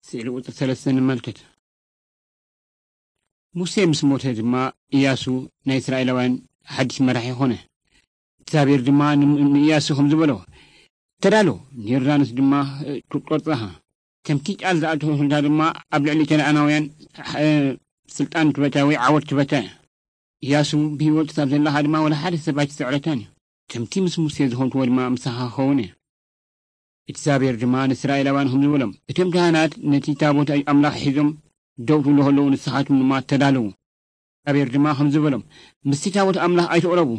ስእሊ ቁጽሪ ሰለስተ ንመልከት። ሙሴ ምስ ሞተ ድማ፣ ኢያሱ ናይ እስራኤላውያን ሓድሽ መራሒ ኾነ። እግዚኣብሔር ድማ ን-፣ ንኢያሱ ከም ዝበሎ፣ "ተዳሎ፣ ንዮርዳኖስ ድማ፣ እ፣ ክትቆርጻ ኢኻ። ከምቲ ቃል ዝኣተወትልካ ድማ ኣብ ልዕሊ ከነኣናውያን፣ እ፣ ስልጣን ትበታ ወይ ዓወት ትበታ እያ። ኢያሱ ብህይወት ክሳብ ዘለኻ ድማ ወላ ሓደ ሰብ ኣይትስዕረካን እዩ። ከምቲ ምስ ሙሴ ዝኾንክዎ ድማ ምሳኻ ክኸውን እየ።" እግዚኣብሔር ድማ ንእስራኤላውያን ከም ዝበሎም፣ "እቶም ካህናት ነቲ ታቦት ኣምላኽ ሒዞም ደው ክብሉ ከለዉ ንስኻትኩም ድማ ተዳለዉ።" እግዚኣብሔር ድማ ከም ዝበሎም፣ "ምስቲ ታቦት ኣምላኽ ኣይትቕረቡ፣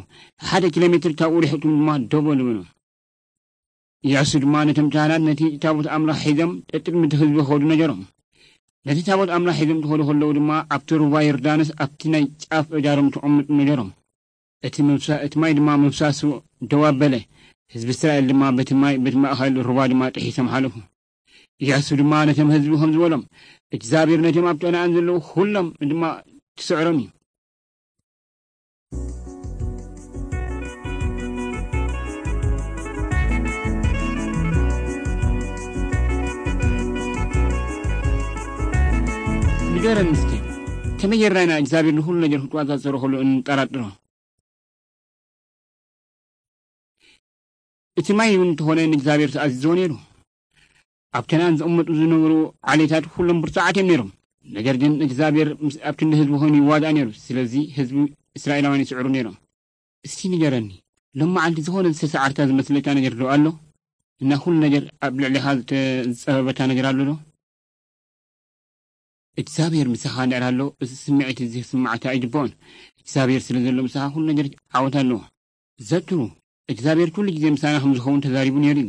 ሓደ ኪሎ ሜትር ካብኡ ርሒቕኩም ድማ ደው በሉ" በሎም። ኢያሱ ድማ ነቶም ካህናት ነቲ ታቦት ኣምላኽ ሒዞም ደድሕሪ እቲ ህዝቢ ክኸዱ ነገሮም። ነቲ ታቦት ኣምላኽ ሒዞም ክኸዱ ከለዉ ድማ ኣብቲ ሩባ ዮርዳኖስ ኣብቲ ናይ ጫፍ እጃሮም ክቕምጡ ነገሮም። እቲ ምፍሳ-፣ እቲ ማይ ድማ ምፍሳሱ ደው ኣበለ። ህዝቢ እስራኤል ድማ በቲ ማይ፣ በቲ ማእከል ሩባ ድማ ጥሒሶም ሓለፉ። ኢያሱ ድማ ነቶም ህዝቢ ከም ዝበሎም፣ "እግዚኣብሔር ነቶም ኣብ ከነኣን ዘለዉ ኩሎም ድማ ክስዕሮም እዩ።" ንገረኒ እስኪ፣ ከመይ ጌርና ኢና እግዚኣብሔር ንኹሉ ነገር ክትቆጻጸሮ ከሎ እንጠራጥሮ? እቲ ማይ እውን እንተኾነ ንእግዚኣብሔር ተኣዚዝዎ ነይሩ። ኣብ ከነኣን ዝቕመጡ ዝነበሩ ዓሌታት ኩሎም ብርቱዓት እዮም ነይሮም። ነገር ግን እግዚኣብሔር ምስ፣ ኣብ ክንዲ ህዝቡ ኮይኑ ይዋጋእ ነይሩ። ስለዚ ህዝቢ እስራኤላውያን ይስዕሩ ነይሮም። እስቲ ንገረኒ፣ ሎም መዓልቲ ዝኾነ ዝተሰዓርካ ዝመስለካ ነገር ዶ ኣሎ? እና ኩሉ ነገር ኣብ ልዕሊኻ ዝተ-፣ ዝጸበበካ ነገር ኣሎ ዶ? እግዚኣብሔር ምሳኻ እንድሕር ኣሎ፣ እዚ ስምዒት እዚ ክስምዓካ ኣይግባኦን። እግዚኣብሔር ስለ ዘሎ ምሳኻ ኩሉ ነገር ዓወት ኣለዎ። ዘክሩ፣ እግዚኣብሔር ኩሉ ግዜ ምሳና ከም ዝኸውን ተዛሪቡ ነይሩ እዩ።